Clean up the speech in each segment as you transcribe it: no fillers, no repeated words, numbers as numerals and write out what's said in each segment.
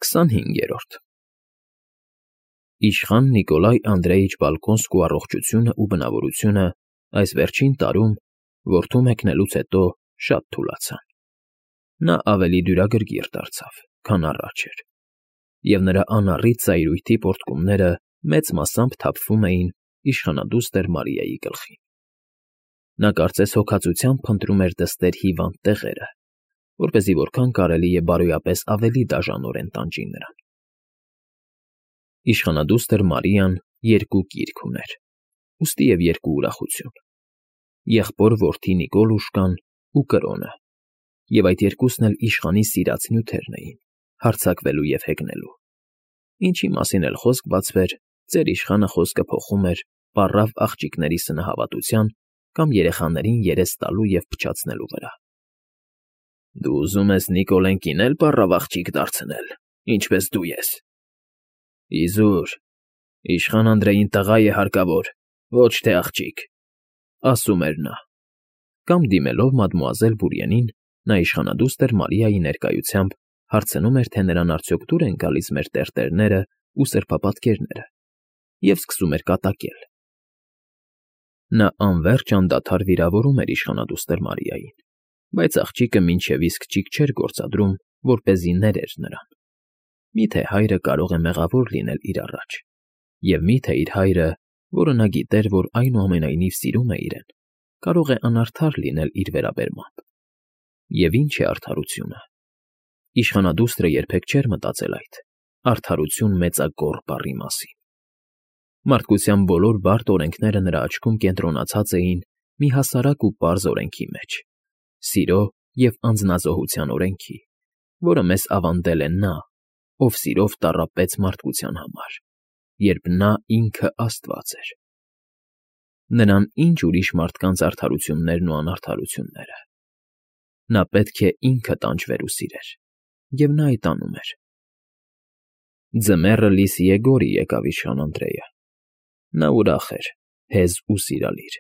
25-րդ Իշխան Նիկոլայ Անդրեիչ Բալկոնսկու առողջությունն ու բնավորությունը այս վերջին տարում, որդու մեկնելուց հետո, շատ թուլացան. նա ավելի դյուրագրգիռ դարձավ, քան առաջ էր, և նրա անառիկ ծայրույթի պոռթկումները մեծ մասամբ թափվում էին իշխանադուստր Մարիայի գլխին. նա կարծես հոգածությամբ փնտրում էր դստեր հիվանդ տեղերը, որպեսզի որքան կարելի է բարոյապես ավելի դաժանորեն տանջի նրան. Իշխանադուստր Մարիան երկու կիրք ուներ, ուստի և երկու ուրախություն. եղբոր֊որդի Նիկոլուշկան ու կրոնը, և այդ երկուսն էլ իշխանի սիրած նյութերն էին, հարձակվելու և հեգնելու. ինչի մասին էլ խոսք բացվեր, ծեր իշխանը խոսքը փոխում էր պառավ աղջիկների սնահավատության կամ երեխաներին երես տալու և փչացնելու վրա։ Դու ուզում ես Նիկոլենկին էլ պառավ աղջիկ դարձնել, ինչպես դու ես։ Իզուր, իշխան Անդրեին տղա է հարկավոր, ոչ թե աղջիկ, ասում էր նա, կամ դիմելով մադմուազել Բուրյենին, նա իշխանադուստր Մարիայի ներկայությամբ հարցնում էր, թե նրան արդյոք դուր են գալիս մեր տերտերները ու սրբապատկերները, և սկսում էր կատակել. նա անվերջ անդադար վիրավորում էր իշխանադուստր Մարիային, բայց աղջիկը մինչև իսկ ճիգ չէր գործադրում, որպեսզի ներեր նրան. միթե հայրը կարող է մեղավոր լինել իր առաջ, և միթե իր հայրը, որը նա գիտեր, որ այնուամենայնիվ սիրում է իրեն, կարող է անարդար լինել իր վերաբերմամբ։ Եվ ինչ է արդարությունը։ Իշխանադուստրը երբեք չէր մտածել այդ արդարություն մեծագոռ բառի մասին։ Մարդկության բոլոր բարդ օրենքները նրա աչքում կենտրոնացած էին մի հասարակ ու պարզ օրենքի մեջ՝ սիրո և անձնազոհության օրենքի, որը մեզ ավանդել է նա, ով սիրով տառապեց մարդկության համար, երբ նա ինքը Աստված էր։ Նրան ինչ ուրիշ մարդկանց արդարություններն ու անարդարությունները։ Նա պետք է ինքը տանջվեր ու սիրեր, և նա այդ անում էր։ Ձմեռը Լիսիեգորի եկավ իշխան Անդրեյը։ Նա ուրախ էր, հեզ ու սիրալիր,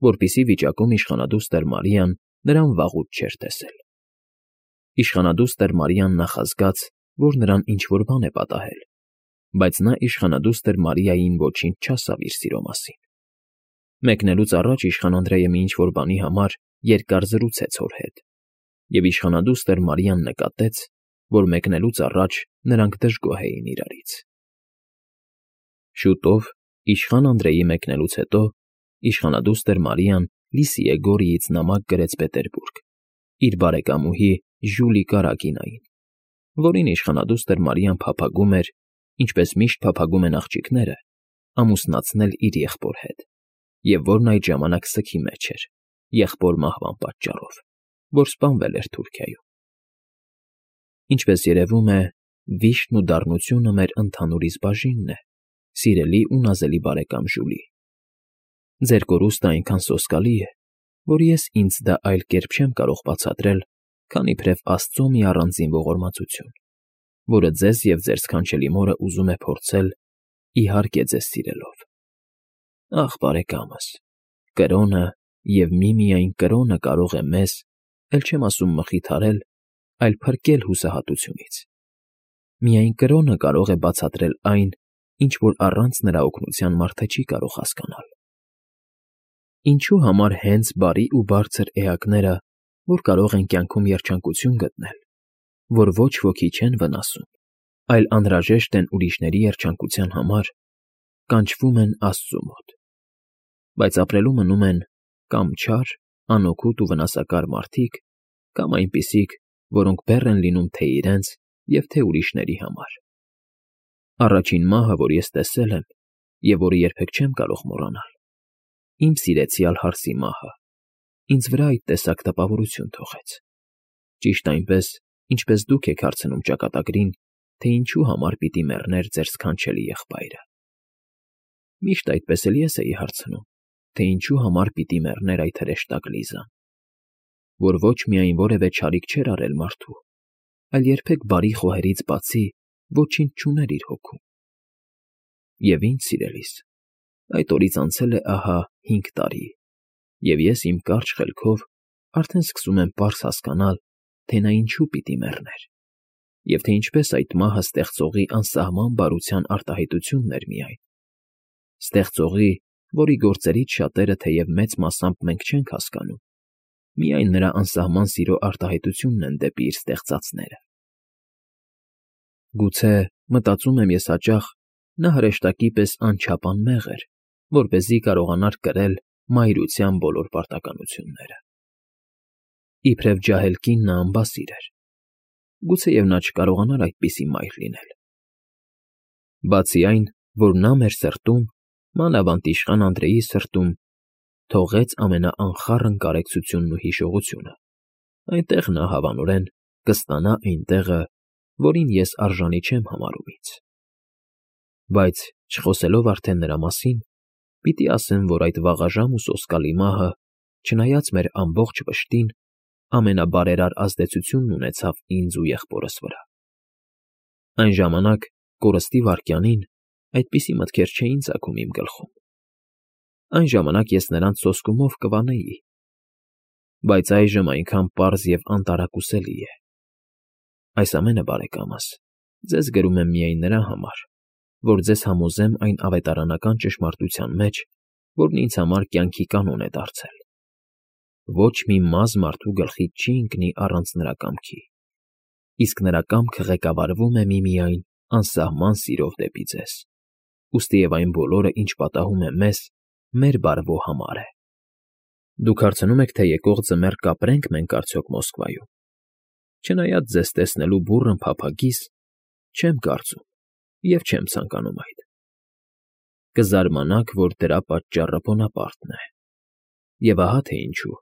որպիսի վիճակում իշխանադուստր Մարիան նրան վաղուց չէր տեսել։ Իշխանադուստր Մարիան նախազգաց, որ նրան ինչ֊որ բան է պատահել, բայց նա իշխանադուստր Մարիային ոչինչ չասավ իր սիրո մասին։ Մեկնելուց առաջ իշխան Անդրեյը մի ինչ֊որ բանի համար երկար զրուցեց հոր հետ, և իշխանադուստր Մարիան նկատեց, որ մեկնելուց առաջ նրանք դժգոհ էին իրարից։ Շուտով, իշխան Անդրեի մեկնելուց հետո, իշխանադուստր Մարիան Լիսիեգորիից նամակ գրեց Պետերբուրգ իր բարեկամուհի Ժուլի Կարագինային, որին իշխանադուստր Մարիան փափագում էր, ինչպես միշտ փափագում են աղջիկները, ամուսնացնել իր եղբոր հետ, և որն այդ ժամանակ սգի մեջ էր, եղբոր մահվան պատճառով, որ սպանվել էր Թուրքիայում։ Ինչպես երևում է, վիշտն ու դառնությունը մեր ընդհանուր իսկ բաժինն է, սիրելի ու նազելի բարեկամ Ժուլի։ Ձեր կորուստը այնքան սոսկալի է, որ ես ինձ դա այլ կերպ չեմ կարող բացատրել, քան իբրև Աստծո մի առանձին ողորմածություն, որը ձեզ և ձեր սքանչելի մորը ուզում է փորձել, իհարկե ձեզ սիրելով։ Ախ, բարեկամս, կրոնը և միմիայն կրոնը կարող է մեզ, էլ չեմ ասում մխիթարել, այլ փրկել հուսահատությունից։ Միայն կրոնը կարող է բացատրել այն, ինչ որ առանց նրա օգնության մարդը չի կարող հասկանալ։ Ինչու համար հենց բարի ու բարձր էակները, որ կարող են կյանքում երջանկություն գտնել, որ ոչ ոքի չեն վնասում, այլ անհրաժեշտ են ուրիշների երջանկության համար, կանչվում են Աստծու մոտ, բայց ապրելու մնում են կամ չար, անօգուտ ու վնասակար մարդիկ, կամ այնպիսիք, որոնք բեռ են լինում թե իրենց և թե ուրիշների համար։ Առաջին մահը, որ ես տեսել եմ, և որը երբեք չեմ կարող մոռանալ, իմ սիրեցյալ հարսի մահը, ինձ վրա այդ տեսակ տպավորություն թողեց, ճիշտ այնպես, ինչպես դուք եք հարցնում ճակատագրին, թե ինչու համար պիտի մեռներ ձեր սքանչելի եղբայրը։ Միշտ այդպես էլ ես էի հարցնում, թե ինչու համար պիտի մեռներ այդ հրեշտակ Լիզան, որ ոչ միայն որևէ չարիք չէր արել մարդու, այլ երբեք բարի խոհերից բացի ոչինչ չուներ իր հոգում։ Եվ ինչ, սիրելիս, այդ օրից անցել է ահա 5 տարի, և ես իմ կարճ խելքով արդեն սկսում եմ պարզ հասկանալ, թե նա ինչու պիտի մեռներ, և թե ինչպես այդ մահը ստեղծողի անսահման բարության արտահայտությունն էր միայն, ստեղծողի, որի գործերից շատերը թեև մեծ մասամբ մենք չենք հասկանում, միայն նրա անսահման սիրո արտահայտությունն են դեպի իր ստեղծածները։ Գուցե, մտածում եմ ես հաճախ, նա հրեշտակի պես անչափ անմեղ էր, որպեսզի կարողանար կրել մայրության բոլոր պարտականությունները։ Իբրև ջահել կին նա անբասիր էր, գուցեև նա չկարողանար այդպիսի մայր լինել։ Բացի այն, որ նա մեր սրտում, մանավանդ իշխան Անդրեի սրտում, թողեց ամենաանխառն կարեկցությունն ու հիշողությունը, այնտեղ նա հավանորեն կստանա այն տեղը, որին ես արժանի չեմ համարում ինձ։ Բայց, չխոսելով արդեն նրա մասին, պիտի ասեմ, որ այդ վաղաժամ ու սոսկալի մահը, չնայած մեր ամբողջ վշտին, ամենաբարերար ազդեցությունն ունեցավ ինձ ու եղբորս վրա։ Այն ժամանակ, կորստի վայրկյանին, այդպիսի մտքեր չէին ծագում իմ գլխում։ Այն ժամանակ ես նրանց սոսկումով կվանեի, բայց այժմ այնքան պարզ և անտարակուսելի է։ Այս ամենը, բարեկամս, ձեզ գրում եմ միայն նրա համար, որ ձեզ համոզեմ այն ավետարանական ճշմարտության մեջ, որն ինձ համար կյանքի կանոն է դարձել. ոչ մի մազ մարդու գլխից չի ընկնի առանց նրա կամքի, իսկ նրա կամքը ղեկավարվում է միմիայն անսահման սիրով դեպի ձեզ, ուստիև այն բոլորը, ինչ պատահում է մեզ, մեր բարվո համար է։ Դուք հարցնում եք, թե եկող ձմեռ կապրե՞նք մենք արդյոք Մոսկվայում։ Չնայած ձեզ տեսնելու բուռն փափագիս, չեմ կարծում և չեմ ցանկանում այդ։ Կզարմանաք, որ դրա պատճառը Բոնապարտն է։ Եվ ահա թե ինչու։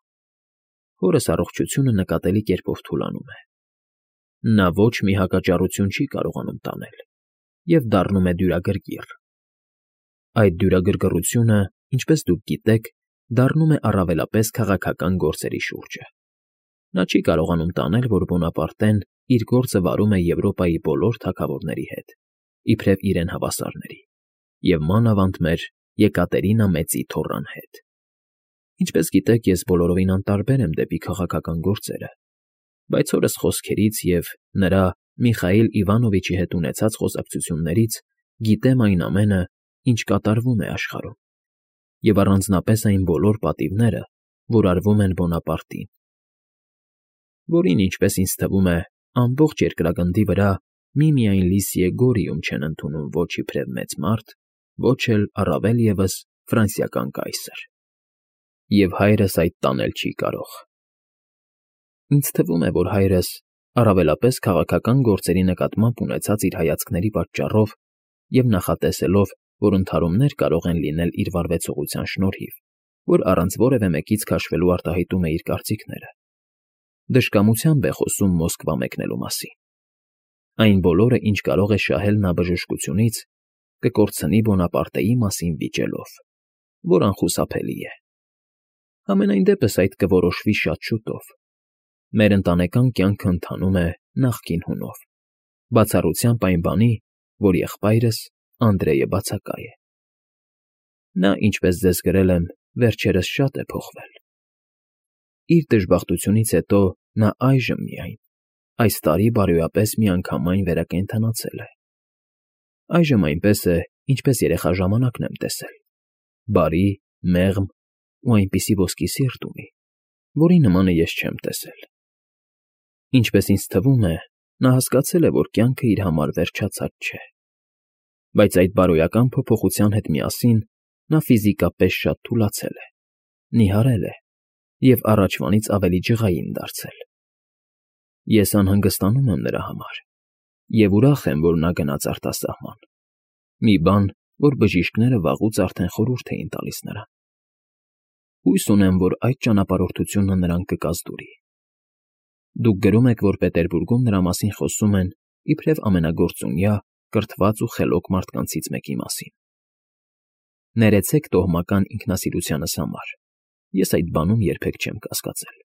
Հորս առողջությունը նկատելի կերպով թուլանում է։ Նա ոչ մի հակաճառություն չի կարողանում տանել և դառնում է դյուրագրգիռ։ Այդ դյուրագրգռությունը, ինչպես դուք գիտեք, դառնում է առավելապես քաղաքական գործերի շուրջը։ Նա չի կարողանում տանել, որ Բոնապարտեն իր գործը վարում է Եվրոպայի բոլոր թագավորների հետ, իբրև իրեն հավասարների, և մանավանդ մեր Եկատերինա Մեծի թոռան հետ։ Ինչպես գիտեք, ես բոլորովին անտարբեր եմ դեպի քաղաքական գործերը, բայց հորս խոսքերից և նրա Միխայիլ Իվանովիչի հետ ունեցած խոսակցություններից գիտեմ այն ամենը, ինչ կատարվում է աշխարհում, և առանձնապես այն բոլոր պատիվները, որ արվում են Բոնապարտին, որին, ինչպես ինձ թվում է, ամբողջ երկրագնդի վրա միմիայն Լիսիե Գորիում չեն ընդունում ոչ իբրև մեծ մարդ, ոչ էլ առավել ևս ֆրանսիական կայսր։ Եվ հայրս այդ տանել չի կարող։ Ինձ թվում է, որ հայրս, առավելապես քաղաքական գործերի նկատմամբ ունեցած իր հայացքների պատճառով և նախատեսելով, որ ընդհարումներ կարող են լինել իր վարվեցողության շնորհիվ, որ առանց որևէ մեկից քաշվելու արտահայտում է իր կարծիքները, դժկամությամբ է խոսում Մոսկվա մեկնելու մասին։ Այն բոլորը, ինչ կարող է շահել նա բժշկությունից, կկորցնի Բոնապարտեի մասին վիճելով, որ անխուսափելի է։ Համենայն դեպս այդ կորոշվի շատ շուտով։ Մեր ընտանեկան կյանքը ընթանում է նախկին հունով, բացառությամբ այն բանի, որ եղբայրս Անդրեյը բացակա է։ Նա, ինչպես ձեզ գրել եմ, վերջերս շատ է փոխվել։ Իր դժբախտությունից հետո նա այժմ միայն, այս տարի բարոյապես միանգամայն վերակենդանացել է։ Այժմ այնպես է, ինչպես երեխա ժամանակն եմ տեսել, բարի, մեղմ ու այնպիսի ոսկի սիրտ ունի, որի նմանը ես չեմ տեսել։ Ինչպես ինձ թվում է, նա հասկացել է, որ կյանքը իր համար վերջացած չէ։ Բայց այդ բարոյական փոփոխության հետ միասին նա ֆիզիկապես շատ թուլացել է, նիհարել է և առաջվանից ավելի ջղային դարձել։ Ես անհանգստանում եմ նրա համար և ուրախ եմ, որ նա գնաց արտասահման, մի բան, որ բժիշկները վաղուց արդեն խորհուրդ էին տալիս նրան։ Հույս ունեմ, որ այդ ճանապարհորդությունը նրան կկազդուրի։ Դուք գրում եք, որ Պետերբուրգում նրա մասին խոսում են իբրև ամենագործունյա, կրթված ու խելոք մարդկանցից մեկի մասին։ Ներեցեք տոհմական ինքնասիրությանս համար, ես այդ բանում երբեք չեմ կասկածել։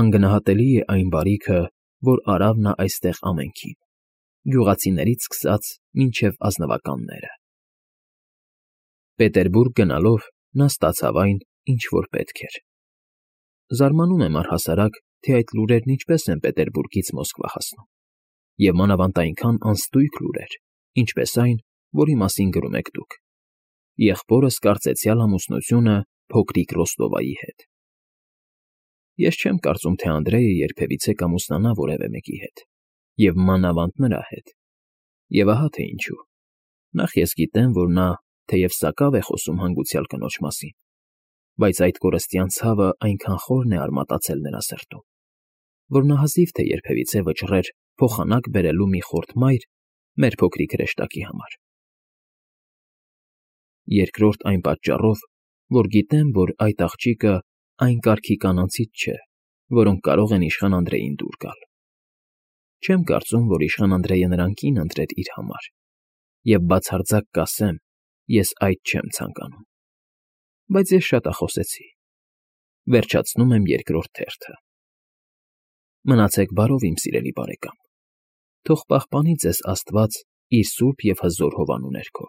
Անգնահատելի է այն բարիքը, որ արավ նա այստեղ ամենքին, գյուղացիներից սկսած մինչև ազնվականները։ Պետերբուրգ գնալով նա ստացավ այն, ինչ որ պետք էր։ Զարմանում եմ առհասարակ, թե այդ լուրերն ինչպես են Պետերբուրգից Մոսկվա հասնում։ և մանավանդ այնքան անստույգ լուրեր, ինչպես այն, որի մասին գրում եք դուք. եղբորս կարծեցյալ ամուսնությունը փոքրիկ Ռոստովայի հետ։ Ես չեմ կարծում, թե Անդրեյը երբևիցե կամուսնանա որևէ մեկի հետ, և մանավանդ նրա հետ։ Եվ ահա թե ինչու. նախ ես գիտեմ, որ նա թեև սակավ է խոսում հանգուցյալ կնոջ մասին, բայց այդ կորստյան ցավը այնքան խորն է արմատացել նրա սրտում, որ նա հազիվ թե երբևիցե վճռեր փոխանակ բերելու մի խորթ մայր մեր փոքրիկ հրեշտակի համար։ Երկրորդ այն պատճառով, որ գիտեմ, որ այդ աղջիկը այն կարգի կանանցից չէ, որոնք կարող են իշխան Անդրեյին դուր գալ։ Չեմ կարծում, որ իշխան Անդրեյը նրան կին ընտրեր իր համար, և բացարձակ կասեմ, ես այդ չեմ ցանկանում։ Բայց ես շատախոսեցի։ Վերջացնում եմ երկրորդ թերթը։ Մնացեք բարով, իմ սիրելի բարեկամ։ Թող պահպանի ձեզ Աստված իր սուրբ և հզոր հովանու ներքո։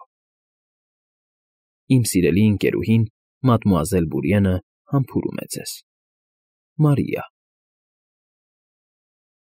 Իմ սիրելի ընկերուհին՝ մադմուազել Բուրիենը համբուրում է ձեզ։ Մարիա։